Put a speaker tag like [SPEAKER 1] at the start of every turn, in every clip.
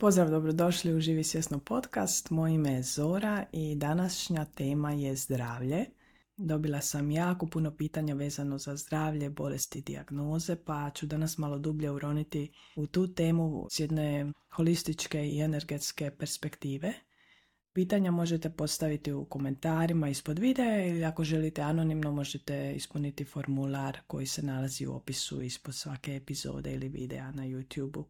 [SPEAKER 1] Pozdrav, dobrodošli u Živi svjesno podcast. Moje ime je Zora i današnja tema je zdravlje. Dobila sam jako puno pitanja vezano za zdravlje, bolesti i dijagnoze, pa ću danas malo dublje uroniti u tu temu s jedne holističke i energetske perspektive. Pitanja možete postaviti u komentarima ispod videa ili ako želite anonimno možete ispuniti formular koji se nalazi u opisu ispod svake epizode ili videa na YouTube-u.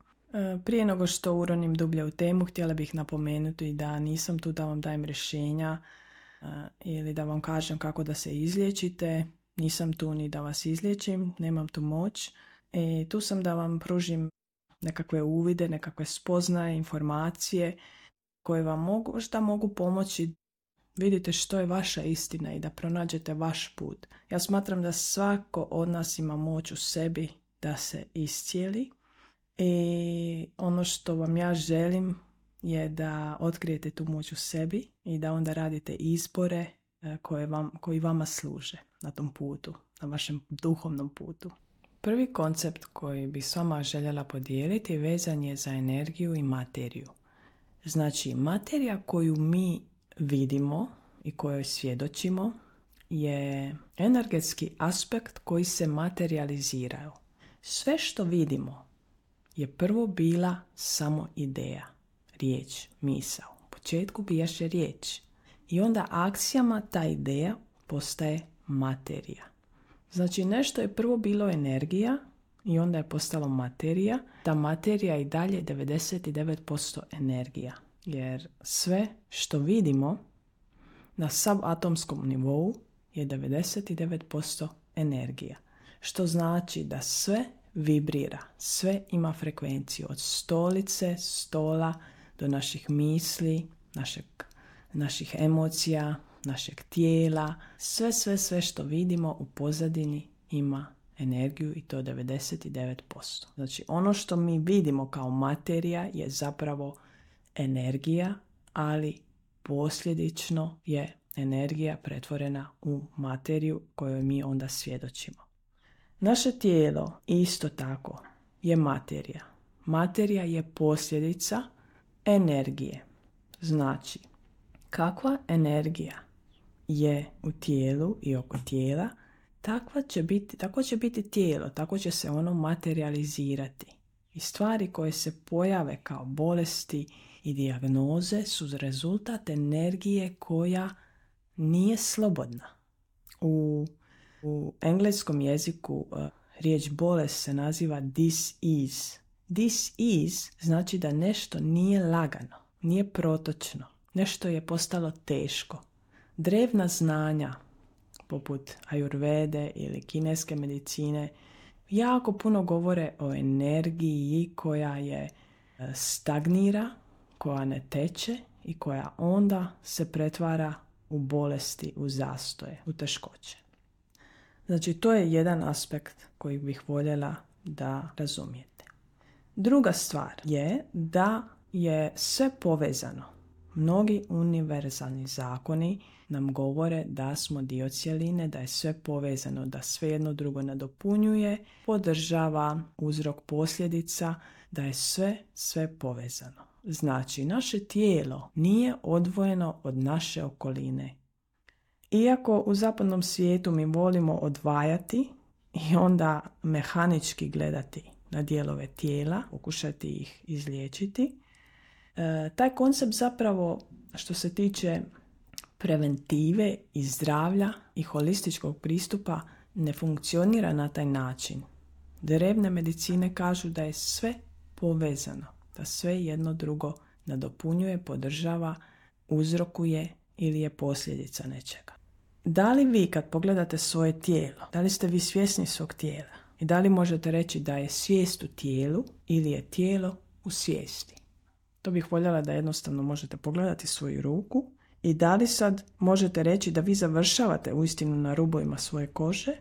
[SPEAKER 1] Prije nego što uronim dublje u temu, htjela bih napomenuti da nisam tu da vam dajem rješenja ili da vam kažem kako da se izliječite. Nisam tu ni da vas izliječim, nemam tu moć. Tu sam da vam pružim nekakve uvide, nekakve spoznaje, informacije koje vam možda mogu pomoći vidite što je vaša istina i da pronađete vaš put. Ja smatram da svako od nas ima moć u sebi da se iscijeli. I ono što vam ja želim je da otkrijete tu moć u sebi i da onda radite izbore koji vama služe na tom putu, na vašem duhovnom putu. Prvi koncept koji bih s vama željela podijeliti vezan je za energiju i materiju. Znači, materija koju mi vidimo i kojoj svjedočimo je energetski aspekt koji se materializiraju. Sve što vidimo je prvo bila samo ideja, riječ, misao. U početku bijaše riječ i onda akcijama ta ideja postaje materija. Znači nešto je prvo bilo energija i onda je postalo materija. Ta materija je i dalje 99% energija. Jer sve što vidimo na subatomskom nivou je 99% energija. Što znači da sve vibrira, sve ima frekvenciju od stolice, stola do naših misli, naših emocija, našeg tijela. Sve što vidimo u pozadini ima energiju i to 99%. Znači ono što mi vidimo kao materija je zapravo energija, ali posljedično je energija pretvorena u materiju kojoj mi onda svjedočimo. Naše tijelo isto tako je materija. Materija je posljedica energije. Znači, kakva energija je u tijelu i oko tijela, tako će biti tijelo, tako će se ono materializirati. I stvari koje se pojave kao bolesti i dijagnoze su rezultat energije koja nije slobodna. U engleskom jeziku riječ bolest se naziva dis-ease. Dis-ease znači da nešto nije lagano, nije protočno, nešto je postalo teško. Drevna znanja, poput ajurvede ili kineske medicine, jako puno govore o energiji koja je stagnira, koja ne teče i koja onda se pretvara u bolesti, u zastoje, u teškoće. Znači, to je jedan aspekt koji bih voljela da razumijete. Druga stvar je da je sve povezano. Mnogi univerzalni zakoni nam govore da smo dio cjeline, da je sve povezano, da sve jedno drugo nadopunjuje, podržava uzrok posljedica, da je sve povezano. Znači, naše tijelo nije odvojeno od naše okoline. Iako u zapadnom svijetu mi volimo odvajati i onda mehanički gledati na dijelove tijela, pokušati ih izliječiti, taj koncept zapravo što se tiče preventive i zdravlja i holističkog pristupa ne funkcionira na taj način. Drevne medicine kažu da je sve povezano, da sve jedno drugo nadopunjuje, podržava, uzrokuje ili je posljedica nečega. Da li vi kad pogledate svoje tijelo, da li ste vi svjesni svog tijela i da li možete reći da je svijest u tijelu ili je tijelo u svijesti? To bih voljela da jednostavno možete pogledati svoju ruku i da li sad možete reći da vi završavate uistinu na rubovima svoje kože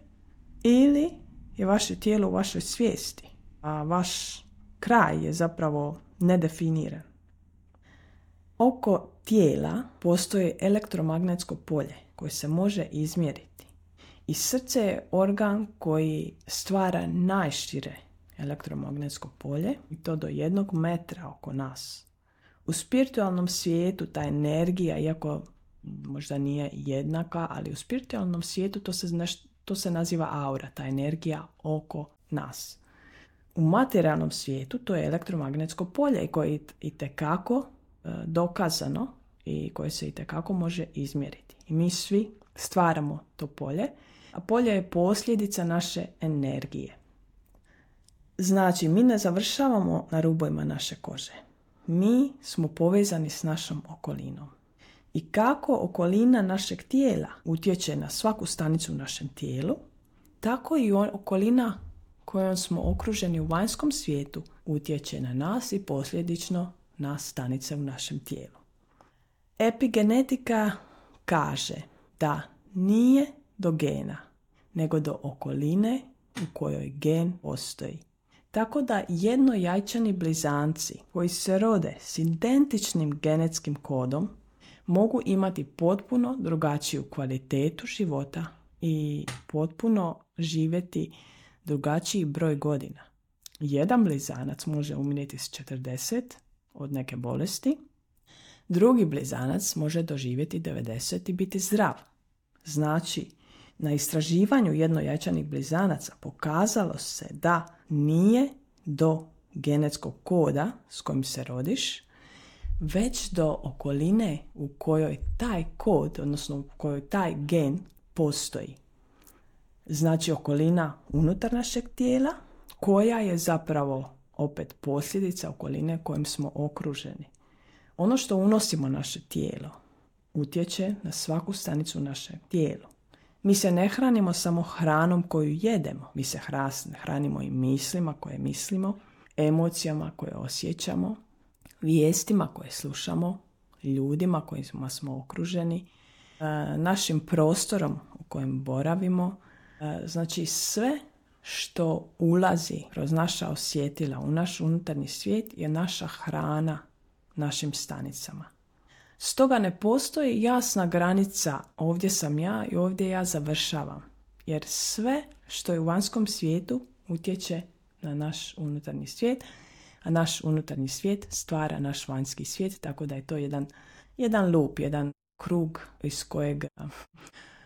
[SPEAKER 1] ili je vaše tijelo u vašoj svijesti, a vaš kraj je zapravo nedefiniran. Oko tijela postoji elektromagnetsko polje koje se može izmjeriti. I srce je organ koji stvara najšire elektromagnetsko polje i to do 1 metra oko nas. U spiritualnom svijetu ta energija, iako možda nije jednaka, ali u spiritualnom svijetu to se naziva aura, ta energija oko nas. U materijalnom svijetu to je elektromagnetsko polje koje je itekako dokazano i koje se itekako može izmjeriti. I mi svi stvaramo to polje, a polje je posljedica naše energije. Znači, mi ne završavamo na rubovima naše kože. Mi smo povezani s našom okolinom. I kako okolina našeg tijela utječe na svaku stanicu u našem tijelu, tako i okolina kojom smo okruženi u vanjskom svijetu utječe na nas i posljedično na stanice u našem tijelu. Epigenetika kaže da nije do gena, nego do okoline u kojoj gen postoji. Tako da jednojajčani blizanci koji se rode s identičnim genetskim kodom mogu imati potpuno drugačiju kvalitetu života i potpuno živjeti drugačiji broj godina. Jedan blizanac može umiriti s 40 od neke bolesti, drugi blizanac može doživjeti 90 i biti zdrav. Znači, na istraživanju jednojajčanih blizanaca pokazalo se da nije do genetskog koda s kojim se rodiš, već do okoline u kojoj taj kod, odnosno u kojoj taj gen postoji. Znači okolina unutar našeg tijela, koja je zapravo opet posljedica okoline kojim smo okruženi. Ono što unosimo naše tijelo utječe na svaku stanicu našeg tijela. Mi se ne hranimo samo hranom koju jedemo, mi se hranimo i mislima koje mislimo, emocijama koje osjećamo, vijestima koje slušamo, ljudima kojima smo okruženi, našim prostorom u kojem boravimo. Znači sve što ulazi kroz naša osjetila u naš unutarnji svijet je naša hrana našim stanicama. Stoga ne postoji jasna granica, ovdje sam ja i ovdje ja završavam. Jer sve što je u vanjskom svijetu utječe na naš unutarnji svijet, a naš unutarnji svijet stvara naš vanjski svijet, tako da je to jedan loop, jedan krug iz kojeg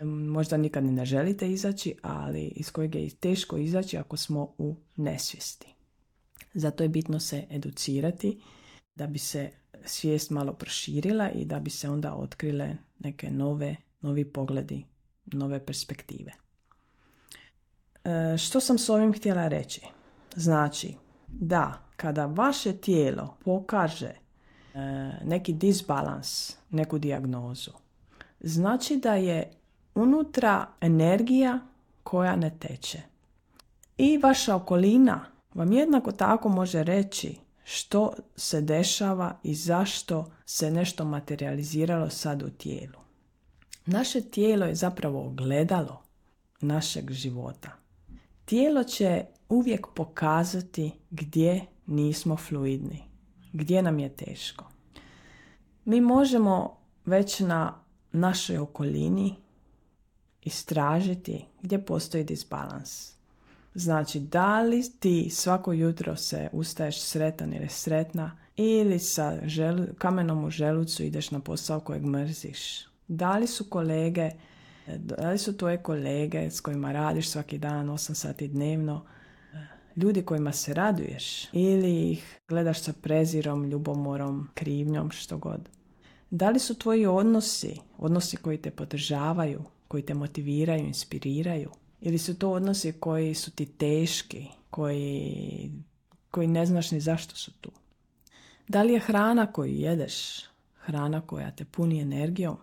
[SPEAKER 1] možda nikad ne želite izaći, ali iz kojeg je teško izaći ako smo u nesvijesti. Zato je bitno se educirati da bi se svijest malo proširila i da bi se onda otkrile neke novi pogledi, nove perspektive. Što sam s ovim htjela reći? Znači da kada vaše tijelo pokaže neki disbalans, neku dijagnozu, znači da je unutra energija koja ne teče. I vaša okolina vam jednako tako može reći što se dešava i zašto se nešto materializiralo sad u tijelu. Naše tijelo je zapravo ogledalo našeg života. Tijelo će uvijek pokazati gdje nismo fluidni, gdje nam je teško. Mi možemo već na našoj okolini istražiti gdje postoji disbalans. Znači, da li ti svako jutro se ustaješ sretan ili sretna ili sa kamenom u želucu ideš na posao kojeg mrziš. Da li su tvoje kolege s kojima radiš svaki dan 8 sati dnevno ljudi kojima se raduješ ili ih gledaš sa prezirom, ljubomorom, krivnjom, što god. Da li su tvoji odnosi koji te podržavaju, koji te motiviraju, inspiriraju? Ili su to odnosi koji su ti teški, koji ne znaš ni zašto su tu? Da li je hrana koju jedeš hrana koja te puni energijom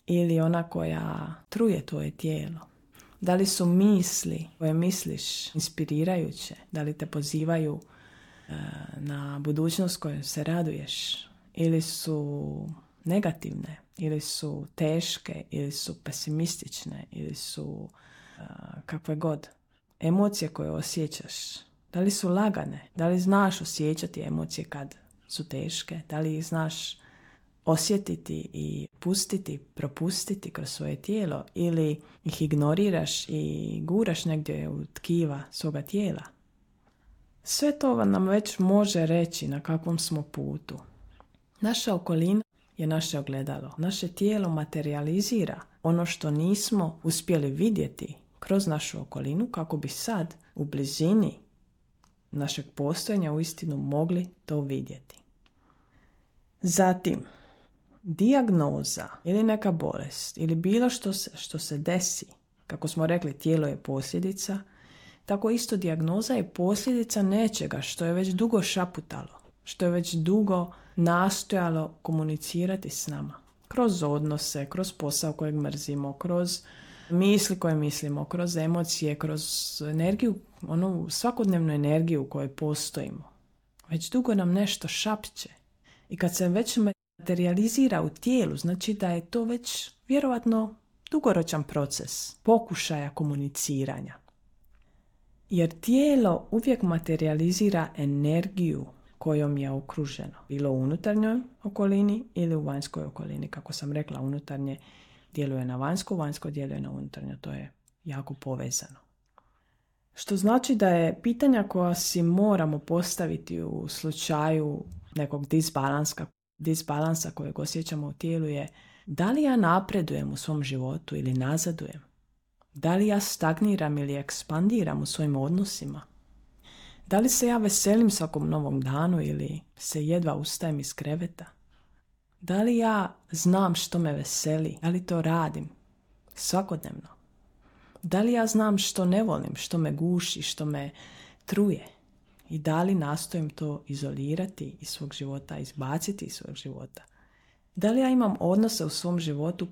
[SPEAKER 1] ili ona koja truje tvoje tijelo? Da li su misli koje misliš inspirirajuće? Da li te pozivaju na budućnost kojom se raduješ? Ili su negativne? Ili su teške? Ili su pesimistične? Ili su kakve god emocije koje osjećaš? Da li su lagane? Da li znaš osjećati emocije kad su teške? Da li ih znaš osjetiti i propustiti kroz svoje tijelo ili ih ignoriraš i guraš negdje u tkiva svoga tijela? Sve to nam već može reći na kakvom smo putu. Naša okolina je naše ogledalo. Naše tijelo materializira ono što nismo uspjeli vidjeti kroz našu okolinu kako bi sad u blizini našeg postojanja uistinu mogli to vidjeti. Zatim, dijagnoza ili neka bolest ili bilo što se desi, kako smo rekli, tijelo je posljedica, tako isto dijagnoza je posljedica nečega što je već dugo šaputalo, što je već dugo nastojalo komunicirati s nama. Kroz odnose, kroz posao kojeg mrzimo, kroz misli koje mislimo, kroz emocije, kroz energiju, onu svakodnevnu energiju u kojoj postojimo. Već dugo nam nešto šapće. I kad se već materializira u tijelu, znači da je to već vjerovatno dugoročan proces pokušaja komuniciranja. Jer tijelo uvijek materializira energiju kojom je okruženo. Bilo u unutarnjoj okolini ili u vanjskoj okolini. Kako sam rekla, unutarnje djeluje na vanjsko, vanjsko djeluje na unutarnje. To je jako povezano. Što znači da je pitanja koja si moramo postaviti u slučaju nekog disbalansa kojeg osjećamo u tijelu je: da li ja napredujem u svom životu ili nazadujem? Da li ja stagniram ili ekspandiram u svojim odnosima? Da li se ja veselim svakom novom danu ili se jedva ustajem iz kreveta? Da li ja znam što me veseli? Da li to radim svakodnevno? Da li ja znam što ne volim, što me guši, što me truje? I da li nastojim to izolirati iz svog života, izbaciti iz svog života? Da li ja imam odnose u svom životu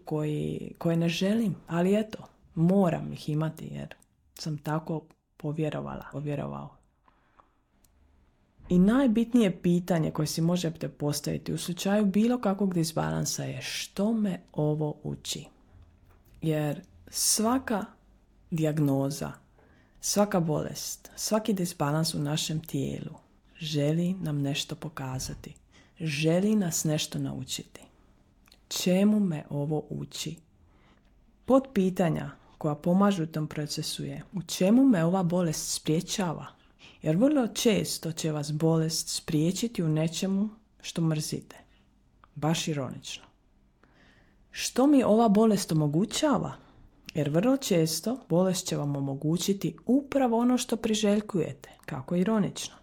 [SPEAKER 1] koje ne želim, ali eto, moram ih imati jer sam tako povjerovao. I najbitnije pitanje koje si možete postaviti u slučaju bilo kakvog disbalansa je: što me ovo uči? Jer svaka dijagnoza, svaka bolest, svaki disbalans u našem tijelu želi nam nešto pokazati. Želi nas nešto naučiti. Čemu me ovo uči? Potpitanja koja pomažu u tom procesu je: u čemu me ova bolest sprječava? Jer vrlo često će vas bolest spriječiti u nečemu što mrzite. Baš ironično. Što mi ova bolest omogućava? Jer vrlo često bolest će vam omogućiti upravo ono što priželjkujete. Kako ironično.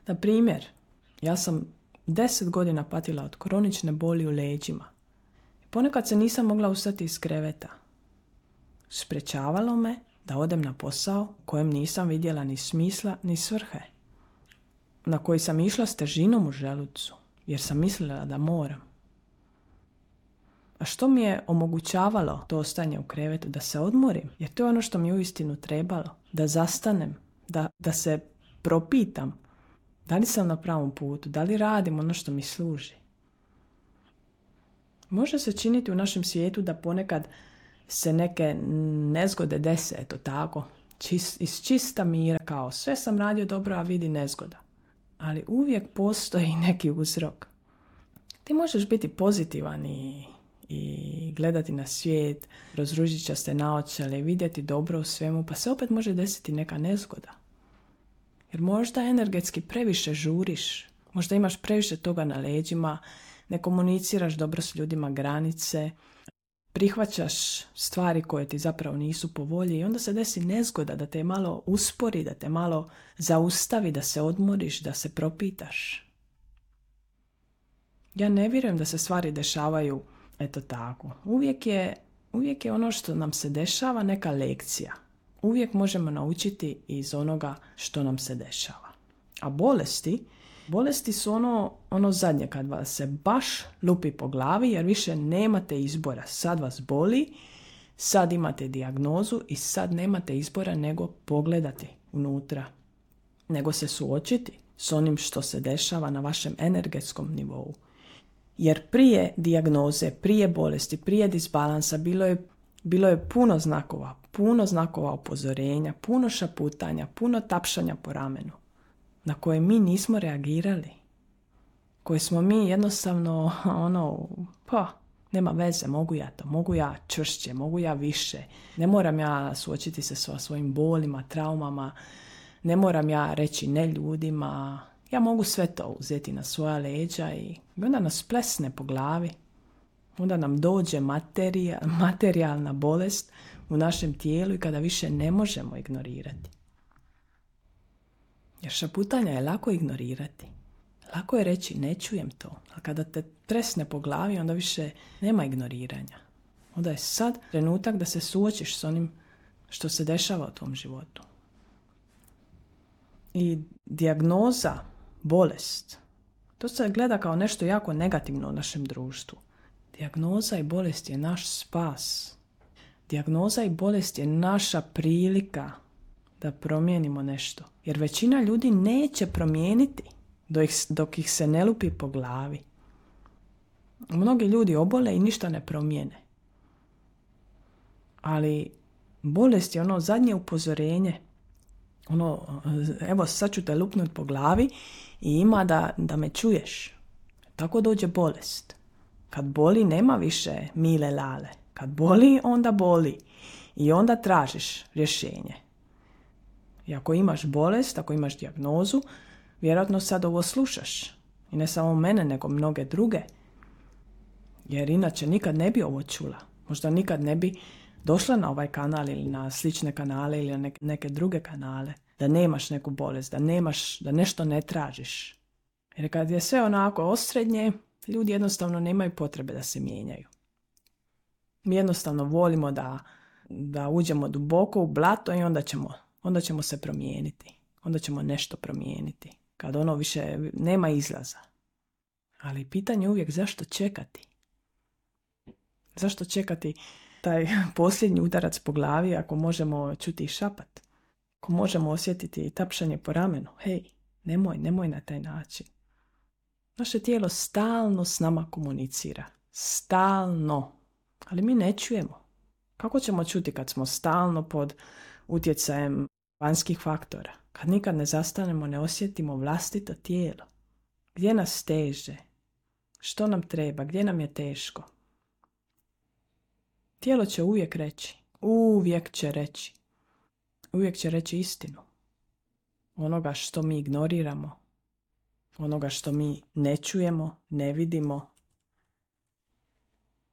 [SPEAKER 1] Na primjer, ja sam 10 godina patila od kronične boli u leđima. Ponekad se nisam mogla ustati iz kreveta. Sprečavalo me da odem na posao u kojem nisam vidjela ni smisla ni svrhe. Na koji sam išla s težinom u želucu, jer sam mislila da moram. A što mi je omogućavalo to ostajanje u krevetu? Da se odmorim, jer to je ono što mi je uistinu trebalo. Da zastanem, da se propitam da li sam na pravom putu, da li radim ono što mi služi. Može se činiti u našem svijetu da ponekad se neke nezgode dese, eto tako, iz čista mira, kao sve sam radio dobro, a vidi nezgoda. Ali uvijek postoji neki uzrok. Ti možeš biti pozitivan i gledati na svijet kroz ružičaste naočale, vidjeti dobro u svemu, pa se opet može desiti neka nezgoda. Jer možda energetski previše žuriš, možda imaš previše toga na leđima, ne komuniciraš dobro s ljudima granice, prihvaćaš stvari koje ti zapravo nisu po volji i onda se desi nezgoda da te malo uspori, da te malo zaustavi, da se odmoriš, da se propitaš. Ja ne vjerujem da se stvari dešavaju eto tako. Uvijek je ono što nam se dešava neka lekcija. Uvijek možemo naučiti iz onoga što nam se dešava. A bolesti su ono zadnje kad vas se baš lupi po glavi jer više nemate izbora. Sad vas boli, sad imate dijagnozu i sad nemate izbora nego pogledati unutra. Nego se suočiti s onim što se dešava na vašem energetskom nivou. Jer prije dijagnoze, prije bolesti, prije disbalansa bilo je puno znakova upozorenja, puno šaputanja, puno tapšanja po ramenu na koje mi nismo reagirali. Koje smo mi jednostavno nema veze, mogu ja čvršće, mogu ja više. Ne moram ja suočiti se sa svojim bolima, traumama, ne moram ja reći ne ljudima. ja mogu sve to uzeti na svoja leđa i onda nas plesne po glavi. Onda nam dođe materijalna bolest u našem tijelu i kada više ne možemo ignorirati. Jer šaputanja je lako ignorirati. Lako je reći ne čujem to, a kada te tresne po glavi onda više nema ignoriranja. Onda je sad trenutak da se suočiš s onim što se dešava u tom životu. I dijagnoza, bolest, to se gleda kao nešto jako negativno u našem društvu. Dijagnoza i bolest je naš spas. Dijagnoza i bolest je naša prilika da promijenimo nešto. Jer većina ljudi neće promijeniti dok ih se ne lupi po glavi. Mnogi ljudi obole i ništa ne promijene. Ali bolest je ono zadnje upozorenje. Evo sad ću te lupnut po glavi i ima da me čuješ. Tako dođe bolest. Kad boli nema više mile lale. Kad boli onda boli. I onda tražiš rješenje. I ako imaš bolest, ako imaš dijagnozu, vjerojatno sad ovo slušaš. I ne samo mene, nego mnoge druge. Jer inače nikad ne bi ovo čula. Možda nikad ne bi došla na ovaj kanal ili na slične kanale ili na neke druge kanale. Da nemaš neku bolest, da nešto ne tražiš. Jer kad je sve onako osrednje, ljudi jednostavno nemaju potrebe da se mijenjaju. Mi jednostavno volimo da uđemo duboko u blato i onda ćemo se promijeniti. Onda ćemo nešto promijeniti. Kad ono više nema izlaza. Ali pitanje je uvijek zašto čekati? Zašto čekati taj posljednji udarac po glavi ako možemo čuti i šapat? Ako možemo osjetiti tapšanje po ramenu? Hej, nemoj na taj način. Naše tijelo stalno s nama komunicira. Stalno. Ali mi ne čujemo. Kako ćemo čuti kad smo stalno pod utjecajem vanjskih faktora? Kad nikad ne zastanemo, ne osjetimo vlastito tijelo. Gdje nas teže? Što nam treba? Gdje nam je teško? Tijelo će uvijek reći. Uvijek će reći istinu. Onoga što mi ignoriramo. Onoga što mi ne čujemo, ne vidimo.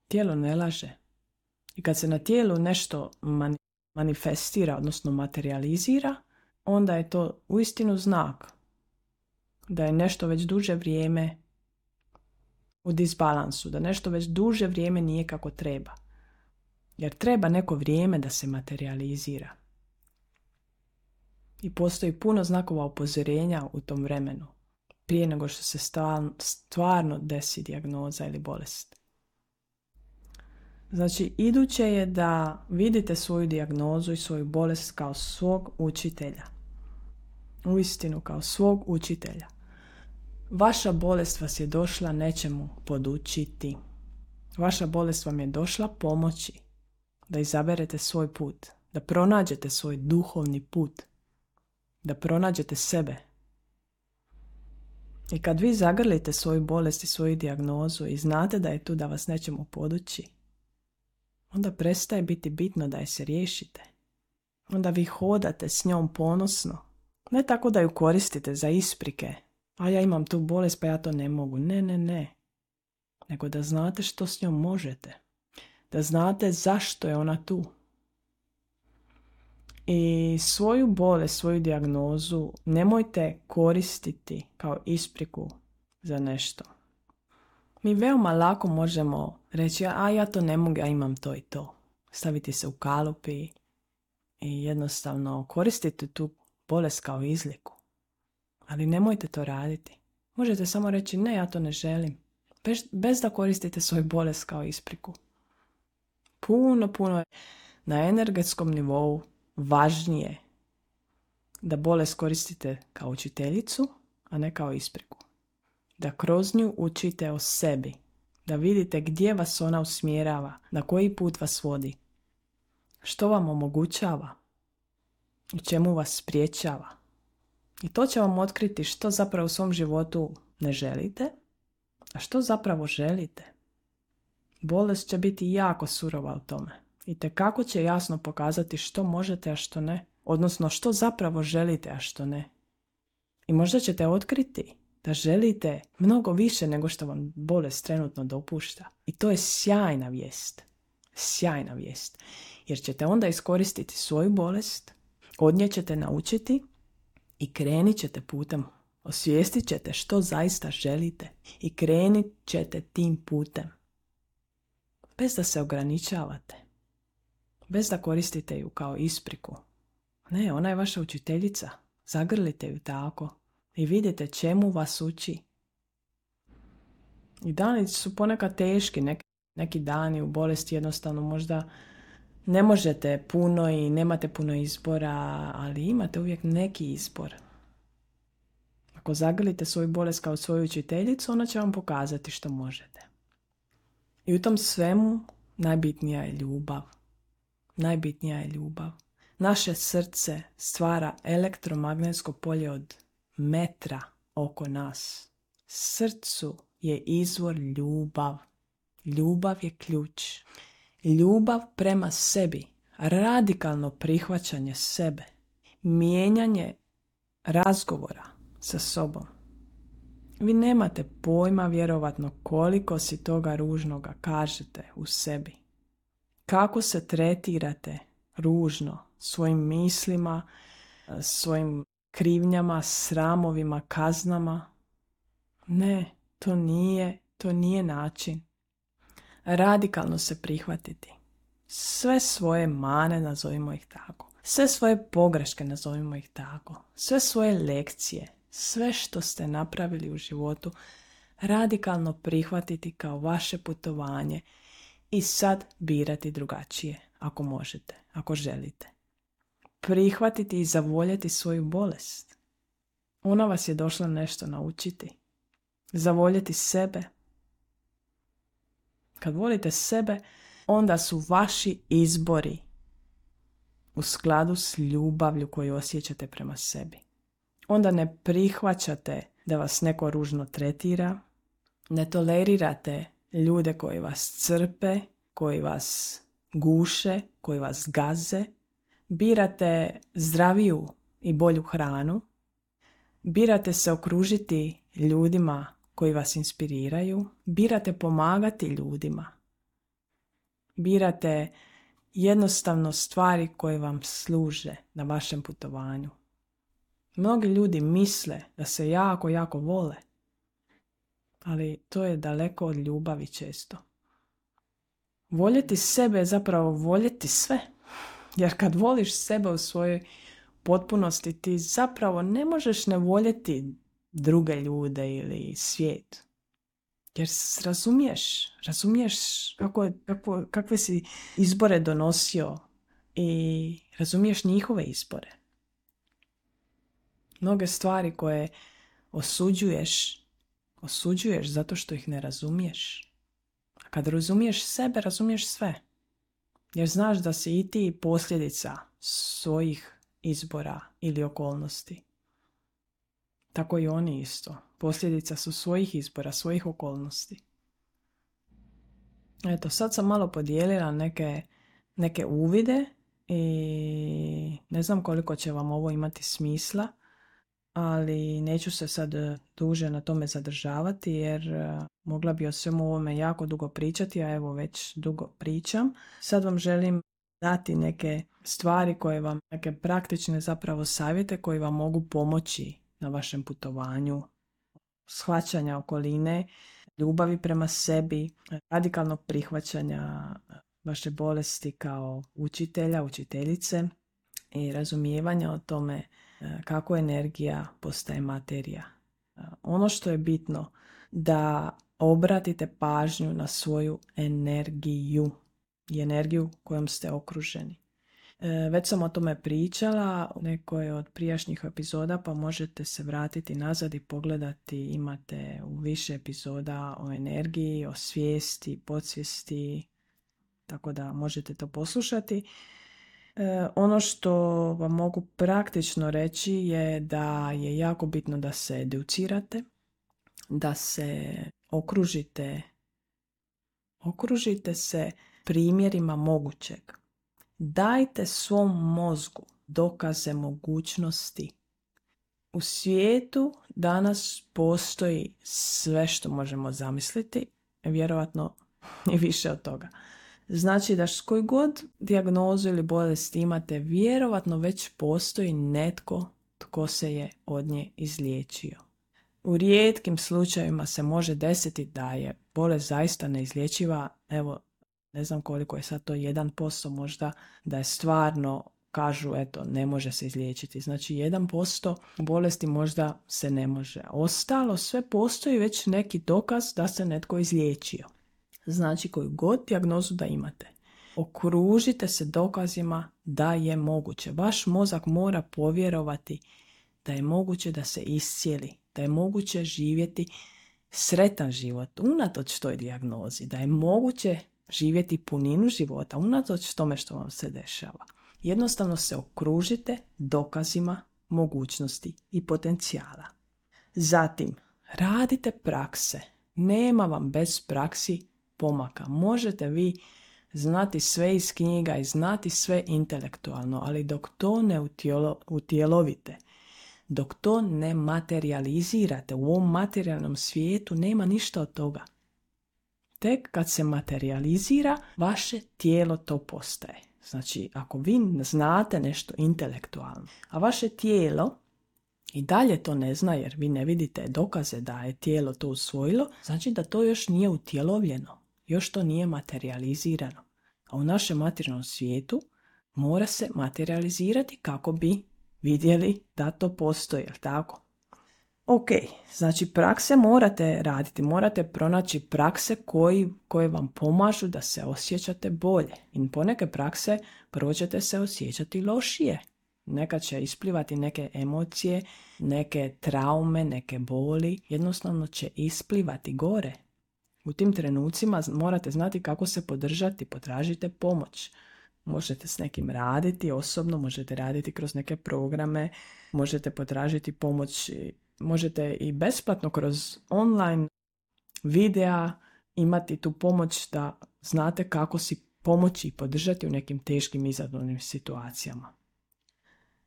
[SPEAKER 1] Tijelo ne laže. I kad se na tijelu nešto manifestira, odnosno materializira, onda je to uistinu znak da je nešto već duže vrijeme u disbalansu, da nešto već duže vrijeme nije kako treba. Jer treba neko vrijeme da se materializira. I postoji puno znakova upozorenja u tom vremenu, prije nego što se stvarno desi dijagnoza ili bolest. Znači, iduće je da vidite svoju dijagnozu i svoju bolest kao svog učitelja. Uistinu kao svog učitelja. Vaša bolest vas je došla nečemu podučiti. Vaša bolest vam je došla pomoći da izaberete svoj put, da pronađete svoj duhovni put, da pronađete sebe. I kad vi zagrlite svoju bolest i svoju dijagnozu i znate da je tu da vas nečemu poduči, onda prestaje biti bitno da je se riješite. Onda vi hodate s njom ponosno. Ne tako da ju koristite za isprike. A ja imam tu bolest pa ja to ne mogu. Ne. Nego da znate što s njom možete. Da znate zašto je ona tu. I svoju bolest, svoju dijagnozu nemojte koristiti kao ispriku za nešto. Mi veoma lako možemo reći, ja to ne mogu, ja imam to i to. Staviti se u kalup i jednostavno koristiti tu bolest kao izliku. Ali nemojte to raditi. Možete samo reći, ne, ja to ne želim. Bez da koristite svoju bolest kao ispriku. Puno na energetskom nivou važnije da bolest koristite kao učiteljicu, a ne kao ispriku. Da kroz nju učite o sebi. Da vidite gdje vas ona usmjerava, na koji put vas vodi. Što vam omogućava, u čemu vas spriječava. I to će vam otkriti što zapravo u svom životu ne želite, a što zapravo želite. Bolest će biti jako surova u tome. I tekako će jasno pokazati što možete, a što ne. Odnosno što zapravo želite, a što ne. I možda ćete otkriti da želite mnogo više nego što vam bolest trenutno dopušta. I to je sjajna vijest. Sjajna vijest. Jer ćete onda iskoristiti svoju bolest, od nje ćete naučiti i krenit ćete putem. Osvijestit ćete što zaista želite i krenit ćete tim putem. Bez da se ograničavate. Bez da koristite ju kao ispriku. Ne, ona je vaša učiteljica. Zagrlite ju tako i vidite čemu vas uči. I dani su ponekad teški, neki dani u bolesti jednostavno možda ne možete puno i nemate puno izbora, ali imate uvijek neki izbor. Ako zagrlite svoju bolest kao svoju učiteljicu, ona će vam pokazati što možete. I u tom svemu najbitnija je ljubav. Najbitnija je ljubav. Naše srce stvara elektromagnetsko polje od metra oko nas. Srcu je izvor ljubav. Ljubav je ključ. Ljubav prema sebi, radikalno prihvaćanje sebe, mijenjanje razgovora sa sobom. Vi nemate pojma vjerovatno koliko si toga ružnoga kažete u sebi. Kako se tretirate ružno svojim mislima, svojim krivnjama, sramovima, kaznama. Ne, to nije način. Radikalno se prihvatiti. Sve svoje mane, nazovimo ih tako. Sve svoje pogreške, nazovimo ih tako. Sve svoje lekcije, sve što ste napravili u životu, radikalno prihvatiti kao vaše putovanje i sad birati drugačije, ako možete, ako želite. Prihvatiti i zavoljeti svoju bolest. Ona vas je došla nešto naučiti. Zavoljeti sebe. Kad volite sebe, onda su vaši izbori u skladu s ljubavlju koju osjećate prema sebi. Onda ne prihvaćate da vas neko ružno tretira, ne tolerirate ljude koji vas crpe, koji vas guše, koji vas gaze, birate zdraviju i bolju hranu, birate se okružiti ljudima koji vas inspiriraju, birate pomagati ljudima, birate jednostavno stvari koje vam služe na vašem putovanju. Mnogi ljudi misle da se jako, jako vole, ali to je daleko od ljubavi često. Voljeti sebe je zapravo voljeti sve. Jer kad voliš sebe u svojoj potpunosti, ti zapravo ne možeš ne voljeti druge ljude ili svijet. Jer razumiješ kakve si izbore donosio i razumiješ njihove izbore. Mnoge stvari koje osuđuješ zato što ih ne razumiješ. A kad razumiješ sebe, razumiješ sve. Jer znaš da si i ti posljedica svojih izbora ili okolnosti. Tako i oni isto. Posljedica su svojih izbora, svojih okolnosti. Eto, sad sam malo podijelila neke uvide i ne znam koliko će vam ovo imati smisla, ali neću se sad duže na tome zadržavati jer mogla bi o svemu ovome jako dugo pričati, a evo već dugo pričam. Sad vam želim dati neke stvari koje vam, neke praktične zapravo savjete koji vam mogu pomoći na vašem putovanju, shvaćanja okoline, ljubavi prema sebi, radikalnog prihvaćanja vaše bolesti kao učitelja, učiteljice i razumijevanja o tome kako energija postaje materija. Ono što je bitno da obratite pažnju na svoju energiju i energiju kojom ste okruženi. Već sam o tome pričala u nekoj od prijašnjih epizoda, pa možete se vratiti nazad i pogledati. Imate u više epizoda o energiji, o svijesti, podsvijesti, tako da možete to poslušati. Ono što vam mogu praktično reći je da je jako bitno da se educirate, da se okružite se primjerima mogućeg. Dajte svom mozgu dokaze mogućnosti. U svijetu danas postoji sve što možemo zamisliti, vjerojatno i više od toga. Znači da s koju god dijagnozu ili bolest imate, vjerojatno već postoji netko tko se je od nje izliječio. U rijetkim slučajevima se može desiti da je bolest zaista neizlječiva, evo, ne znam koliko je sad to 1% možda, da je stvarno, kažu, eto, ne može se izliječiti. Znači 1% bolesti možda se ne može. Ostalo sve postoji već neki dokaz da se netko izliječio. Znači koju god dijagnozu da imate, okružite se dokazima da je moguće. Vaš mozak mora povjerovati da je moguće da se iscijeli, da je moguće živjeti sretan život unatoč toj dijagnozi, da je moguće živjeti puninu života unatoč tome što vam se dešava. Jednostavno se okružite dokazima mogućnosti i potencijala. Zatim, radite prakse. Nema vam bez praksi pomaka. Možete vi znati sve iz knjiga i znati sve intelektualno, ali dok to ne utjelovite, dok to ne materializirate u ovom materijalnom svijetu, nema ništa od toga. Tek kad se materializira, vaše tijelo to postaje. Znači, ako vi znate nešto intelektualno, a vaše tijelo i dalje to ne zna jer vi ne vidite dokaze da je tijelo to usvojilo, znači da to još nije utjelovljeno, još to nije materializirano. A u našem materijalnom svijetu mora se materializirati kako bi vidjeli da to postoji, jel tako? Ok, znači prakse morate raditi, morate pronaći prakse koje vam pomažu da se osjećate bolje. I poneke prakse prvo ćete se osjećati lošije. Nekad će isplivati neke emocije, neke traume, neke boli, jednostavno će isplivati gore. U tim trenucima morate znati kako se podržati, potražite pomoć. Možete s nekim raditi osobno, možete raditi kroz neke programe, možete potražiti pomoć, možete i besplatno kroz online videa imati tu pomoć da znate kako si pomoći i podržati u nekim teškim izazovnim situacijama.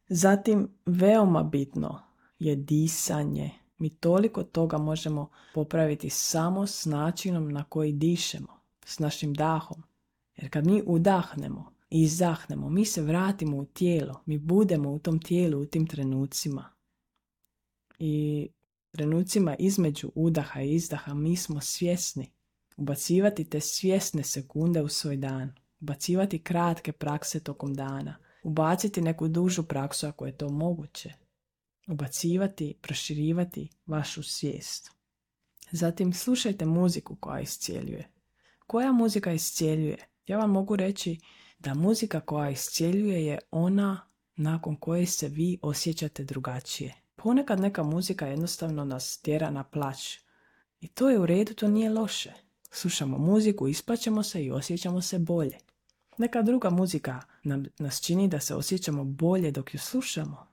[SPEAKER 1] Zatim, veoma bitno je disanje. Mi toliko toga možemo popraviti samo s načinom na koji dišemo, s našim dahom. Jer kad mi udahnemo i izdahnemo, mi se vratimo u tijelo, mi budemo u tom tijelu u tim trenucima. I trenucima između udaha i izdaha mi smo svjesni. Ubacivati te svjesne sekunde u svoj dan. Ubacivati kratke prakse tokom dana. Ubaciti neku dužu praksu ako je to moguće. Ubacivati, proširivati vašu svijest. Zatim slušajte muziku koja iscijeljuje. Koja muzika iscijeljuje? Ja vam mogu reći da muzika koja iscijeljuje je ona nakon koje se vi osjećate drugačije. Ponekad neka muzika jednostavno nas tjera na plać. I to je u redu, to nije loše. Slušamo muziku, isplaćemo se i osjećamo se bolje. Neka druga muzika nas čini da se osjećamo bolje dok ju slušamo.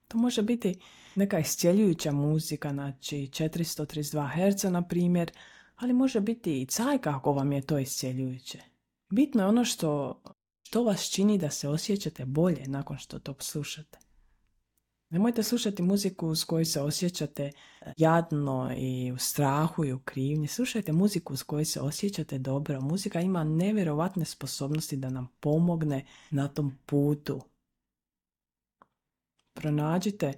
[SPEAKER 1] To može biti neka iscijeljujuća muzika, znači 432 Hz na primjer, ali može biti i cajka ako vam je to iscijeljujuće. Bitno je ono što vas čini da se osjećate bolje nakon što to slušate. Nemojte slušati muziku s kojoj se osjećate jadno i u strahu i u krivnji. Slušajte muziku s kojoj se osjećate dobro. Muzika ima nevjerovatne sposobnosti da nam pomogne na tom putu. Pronađite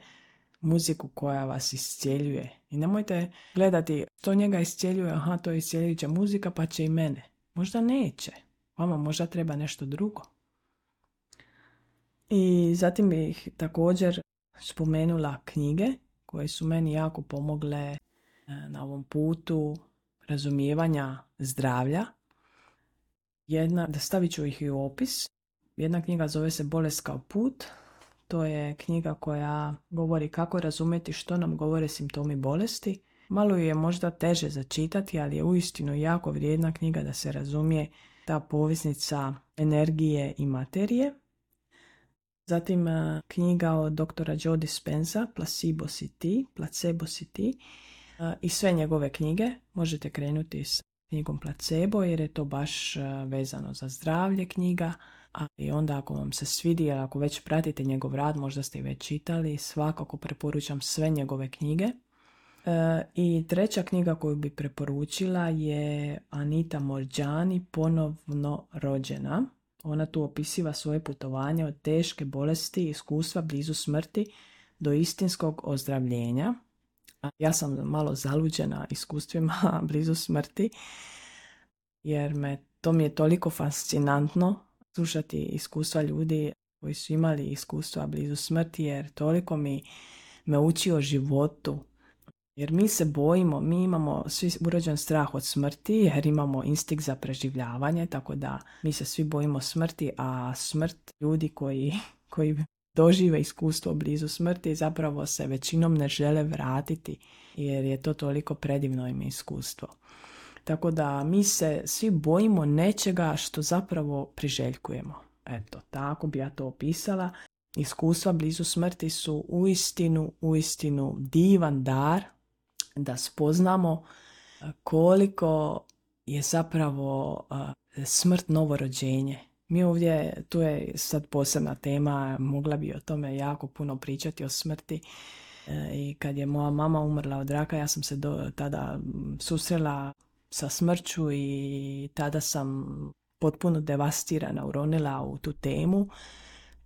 [SPEAKER 1] muziku koja vas iscijeljuje. I nemojte gledati što njega iscijeljuje, aha, to je iscijeljujuća muzika pa će i mene. Možda neće. Vama možda treba nešto drugo. I zatim bih također spomenula knjige koje su meni jako pomogle na ovom putu razumijevanja zdravlja. Stavit ću ih i u opis. Jedna knjiga zove se Bolest kao put. To je knjiga koja govori kako razumjeti što nam govore simptomi bolesti. Malo je možda teže začitati, ali je uistinu jako vrijedna knjiga da se razumije ta poveznica energije i materije. Zatim knjiga od doktora Joe Dispenza, Placebo si ti. I sve njegove knjige možete krenuti s knjigom Placebo jer je to baš vezano za zdravlje knjiga, I onda ako vam se svidi, ili ako već pratite njegov rad, možda ste i već čitali, svakako preporučam sve njegove knjige. I treća knjiga koju bi preporučila je Anita Moorjani, Ponovno rođena. Ona tu opisiva svoje putovanje od teške bolesti i iskustva blizu smrti do istinskog ozdravljenja. Ja sam malo zaluđena iskustvima blizu smrti, jer to mi je toliko fascinantno slušati iskustva ljudi koji su imali iskustva blizu smrti, jer toliko me uči o životu. Jer mi se bojimo, mi imamo svi urođen strah od smrti, jer imamo instinkt za preživljavanje, tako da mi se svi bojimo smrti, a smrt ljudi koji dožive iskustvo blizu smrti zapravo se većinom ne žele vratiti, jer je to toliko predivno im iskustvo. Tako da mi se svi bojimo nečega što zapravo priželjkujemo. Eto, tako bi ja to opisala. Iskustva blizu smrti su uistinu divan dar da spoznamo koliko je zapravo smrt novo rođenje. Mi ovdje, tu je sad posebna tema, mogla bi o tome jako puno pričati o smrti. I kad je moja mama umrla od raka, ja sam se tada susrela sa smrću i tada sam potpuno devastirana uronila u tu temu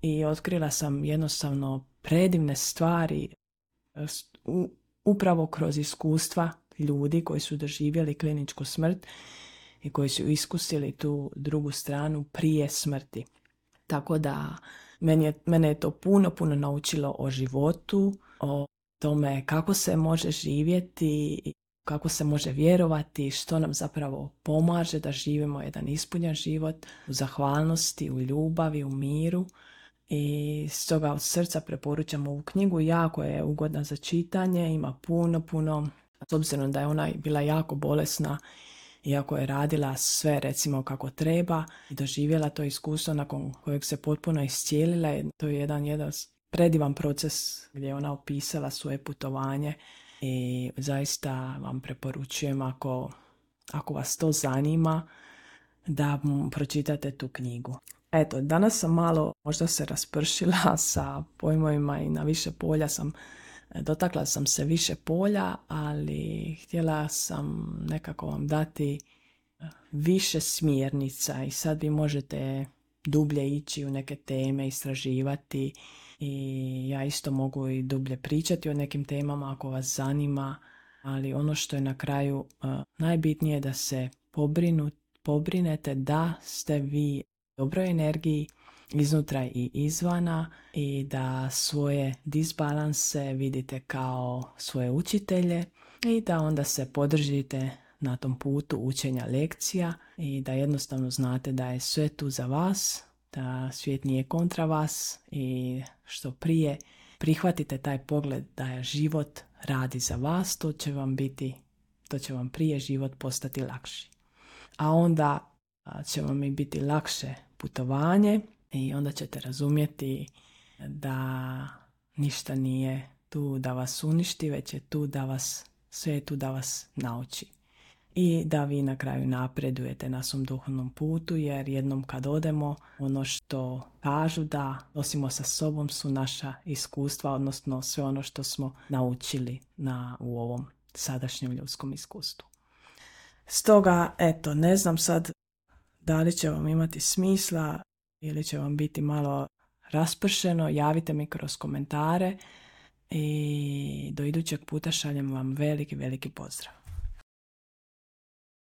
[SPEAKER 1] i otkrila sam jednostavno predivne stvari upravo kroz iskustva ljudi koji su doživjeli kliničku smrt i koji su iskusili tu drugu stranu prije smrti. Tako da mene je to puno naučilo o životu, o tome kako se može živjeti, kako se može vjerovati, što nam zapravo pomaže da živimo jedan ispunjen život u zahvalnosti, u ljubavi, u miru. I stoga od srca preporučam ovu knjigu, jako je ugodna za čitanje, ima puno, s obzirom da je ona bila jako bolesna, iako je radila sve recimo kako treba i doživjela to iskustvo nakon kojeg se potpuno iscijelila. To je jedan predivan proces gdje je ona opisala svoje putovanje i zaista vam preporučujem ako vas to zanima da pročitate tu knjigu. Eto, danas sam malo možda se raspršila sa pojmovima i na više polja dotakla sam se više polja, ali htjela sam nekako vam dati više smjernica i sad vi možete dublje ići u neke teme, istraživati i ja isto mogu i dublje pričati o nekim temama ako vas zanima, ali ono što je na kraju najbitnije da se pobrinete da ste vi u dobroj energiji iznutra i izvana i da svoje disbalanse vidite kao svoje učitelje i da onda se podržite na tom putu učenja lekcija i da jednostavno znate da je sve tu za vas, da svijet nije kontra vas i što prije prihvatite taj pogled da je život radi za vas, to će vam prije život postati lakši. A onda će vam i biti lakše putovanje i onda ćete razumjeti da ništa nije tu da vas uništi, već je tu sve je tu da vas nauči. I da vi na kraju napredujete na svom duhovnom putu, jer jednom kad odemo, ono što kažu da nosimo sa sobom su naša iskustva, odnosno sve ono što smo naučili u ovom sadašnjem ljudskom iskustvu. Stoga, eto, ne znam sad da li će vam imati smisla ili će vam biti malo raspršeno, javite mi kroz komentare i do idućeg puta šaljem vam veliki pozdrav.